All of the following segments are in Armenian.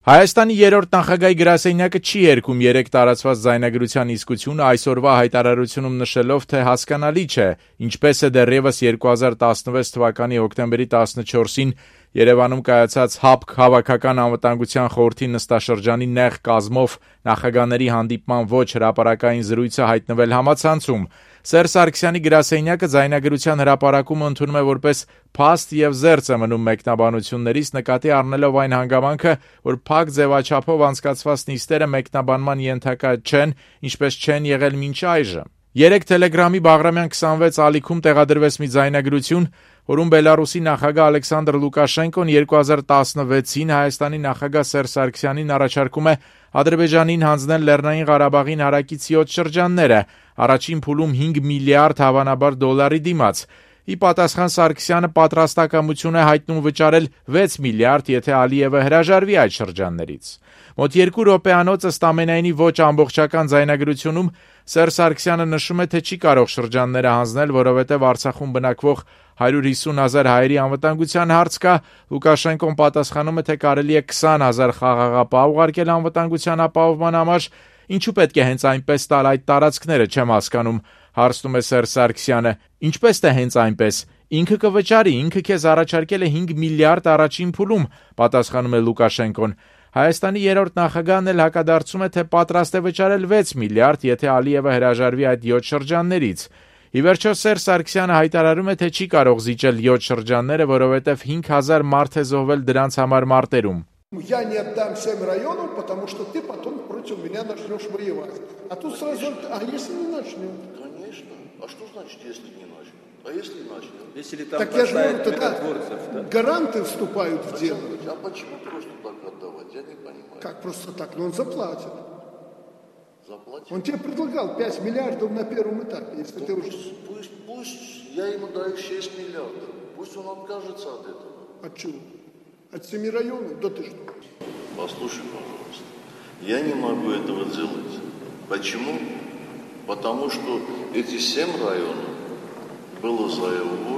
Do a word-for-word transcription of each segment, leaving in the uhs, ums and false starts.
Հայաստանի երրորդ նախագահի գրասենյակը չի երգում երեք տարածված ձայնագրության իսկությունը, այսօրվա հայտարարությունում նշելով, թե հասկանալի չէ, ինչպես է դեռևս երկու հազար տասնվեց թվականի հոկտեմբերի տասնչորսին Երևանում կայացած ՀԱՊԿ Հավաքական անվտանգության խորհրդի նստաշրջանի նեղ կազմով նախագահների հանդիպման ոչ հրապարակային զրույցը հայտնվել համացանցում։ Սերժ Սարգսյանի գրասենյակը ձայնագրության հրապարակումը ընդունում է որպես փաստ եւ զերծ է մնում մեկնաբանություններից, նկատի առնելով այն հանգամանքը, որ փակ ձևաչափով անցկացված նիստերը մեկնաբանման ենթակա չեն, ինչպես չեն եղել մինչ այժմ։ Երեկ Տելեգրամի Բաղրամյան քսանվեց ալիքում տեղադրվեց մի ձայնագրություն, որում Բելարուսի նախագահ Ալեքսանդր Լուկաշենկոն երկու հազար տասնվեցին Հայաստանի նախագահ Սերժ Սարգսյանին առաջարկում է Ադրբեջանին հանձնել Լեռնային Ղարաբաղին հարակից յոթ շրջանները, առաջին փուլում հինգ միլիարդ հավանաբար դոլարի դիմաց։ Ի պատասխան Սարգսյանը պատրաստակամություն է հայտնում վճարել վեց միլիարդ, եթե Ալիևը հրաժարվի այդ շրջաններից։ Մոտ երկու րոպեանոց ըստ ամենայնի ոչ ամբողջական ձայնագրությունում Սերժ Սարգսյանը նշում է, թե չի կարող շրջանները հանձնել, որովհետև Արցախում բնակվող հարյուր հիսուն հազար հայերի անվտանգության հարց կա։ Լուկաշենկոն պատասխանում է, թե կարելի է քսան հազար խաղաղապահ ուղարկել անվտանգության ապահովման համար։ Ինչու պետք է հենց այնպես տալ այդ տարածքները, չեմ հասկանում, հարցնում է Սերժ Սարգսյանը։ Ինչպես թե հենց այնպես։ Ինքը կվճարի, ինքը քեզ առաջարկել է հինգ միլիարդ առաջին փուլում, պատասխանում է Լուկաշենկոն։ Հայաստանի երրորդ նախագահն էլ հակադարձում է, թե պատրաստ է վճարել վեց միլիարդ, եթե Ալիևը հրաժարվի այդ յոթ շրջաններից։ Ի վերջո Սերժ Սարգսյանը հայտարարում է, թե չի կարող զիջել յոթ շրջանները, որովհետև հինգ հազար մարդ է զոհվել дրանց համար մարտերում։ Я не отдам семь районов, потому что ты потом против меня начнешь воевать. А тут сразу, а если не начнем? Конечно. А что значит, если не начнем? А если начнем? Если там так я же говорю, тогда да. гаранты вступают в дело. А почему просто так отдавать? Я не понимаю. Как просто так? Но он заплатит. Заплатит? Он тебе предлагал пять миллиардов на первом этапе, если ну, ты пусть, уже... Пусть, пусть я ему даю шесть миллиардов. Пусть он откажется от этого. От чего? От семи районов? Да ты что? Послушай, пожалуйста. Я не могу этого делать. Почему? Потому что эти семь районов было завоевано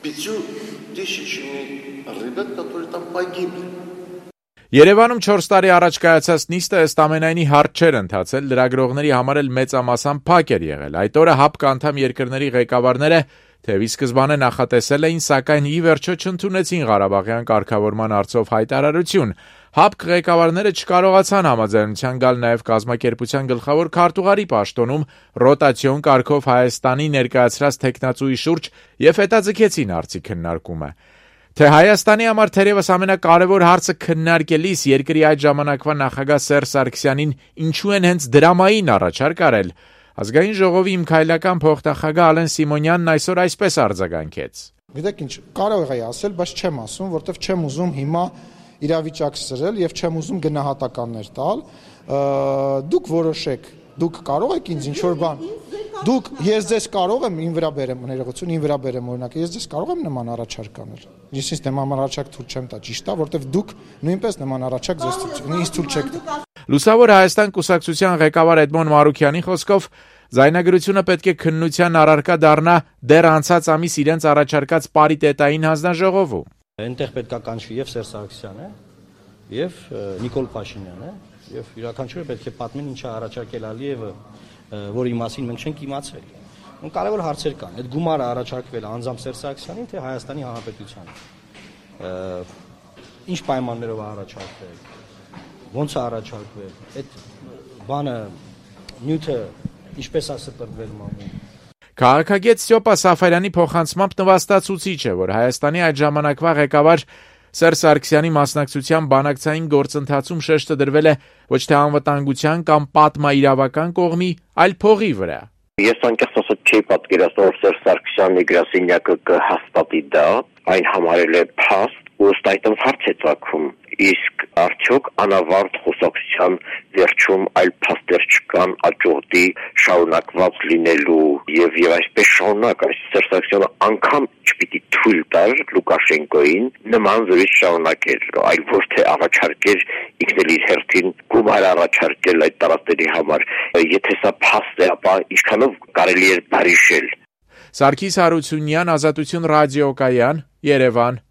пятью тысячами ребят, которые там погибли. Երևանում չորս տարի առաջ կայացած նիստը ըստ ամենայնի հարթ չէր ընթացել, լրագրողների համար էլ մեծամասամբ փակ էր եղել։ Այդ օրը ՀԱՊԿ անդամ երկրների ղեկավարները թեւի սկզբանե նախատեսել էին, սակայն ի վերջո չընդունեցին Ղարաբաղյան կարգավորման հարցով հայտարարություն։ ՀԱՊԿ ղեկավարները չկարողացան համաձայնության գալ նաև կազմակերպության գլխավոր քարտուղարի պաշտոնում ռոտացիոն կարգով Հայաստանի ներկայացրած թեկնածուի շուրջ եւ հետաձգեցին հարցի քննարկումը։ Թե Հայաստանի համար թերևս ամենակարևոր հարցը քննարկելիս երկրի այդ ժամանակվա նախագահ Սերժ Սարգսյանին ինչու են հենց դրամային առաջարկ արել, Ազգային ժողովի իմ քայլական փոխնախագահ Ալեն Սիմոնյանն այսօր այսպես արձագանքեց. Գիտեք ինչ, կարող էի ասել, բայց չեմ ասում, որովհետև չեմ ուզում հիմա իրավիճակ սրել եւ չեմ ուզում գնահատականներ տալ։ Դուք որոշեք, դուք կարող եք ինձ ինչ-որ բան Դուք ես ձեզ կարող եմ ին վրա բերեմ ներողություն, ին վրա բերեմ օրինակ, ես ձեզ կարող եմ նման առաջարկ անել։ Ես ինձ նման առաջարկ թույլ չեմ տա, ճիշտ է, որովհետև դուք նույնպես նման առաջարկ ձեզ ինձ թույլ չեք տա։ Լուսավոր Հայաստան կուսակցության ղեկավար Էդմոն Մարուքյանի խոսքով ձայնագրությունը պետք է քննության առարկա դառնա դեռ անցած ամիս իրենց առաջարկած պարիտետային հանձնաժողովում։ Այնտեղ պետք է կանչվի եւ Սերժ Սարգսյանը եւ Նիկոլ Փաշինյանը եւ յուրաքանչյուրը պետք է պատմեն ինչա առաջարկել Ալիևը, որի մասին մենք չենք իմացել։ Ու կարևոր հարցեր կան։ Այդ գումարը առաջարկվել անձամբ Սերժ Սարգսյանին, թե Հայաստանի Հանրապետությանին։ Ինչ պայմաններով է առաջարկվել, ո՞նց է առաջարկվել, այդ բանը նյութը ինչպես է սպրվել մամուլ։ Քաղաքագետ Ստյոպա Սաֆարյանի փոխանցմամբ նվաստացուցիչ է, որ Հայաստանի այդ ժամանակվա ղեկավար Սերժ Սարգսյանի մասնակցության բանակցային գործընթացում շեշտը դրվել է ոչ թե անվտանգության կամ պատմաիրավական կողմի, այլ փողի վրա։ Ես անկեղծ ասած չի պատկերացնում, որ Սերժ Սարգսյանի գրասենյակը կհաստատի դա, այն համարել է փաստ, ու ըստ այդմ հարց է ծագում, իսկ արդյոք անավարտ խոսակցության վերջում այլ փաստեր չկան աջորդի շարունակված լինելու եւ եւ այսպես շարունակ այս Սերժ Սարգսյանը անգամ չպիտի թույլ տար Լուկաշենկոին նման զրույց շարունակել, այլ ոչ թե առաջարկեր ինքն էլ իր հերթին գումար առաջարկել այդ տարածքների համար, եթե սա փաստ է, ապա ինչքանով կարելի է բարիշել։ Սարգիս Հարությունյան, Ազատություն ռադիոկայան, Երևան։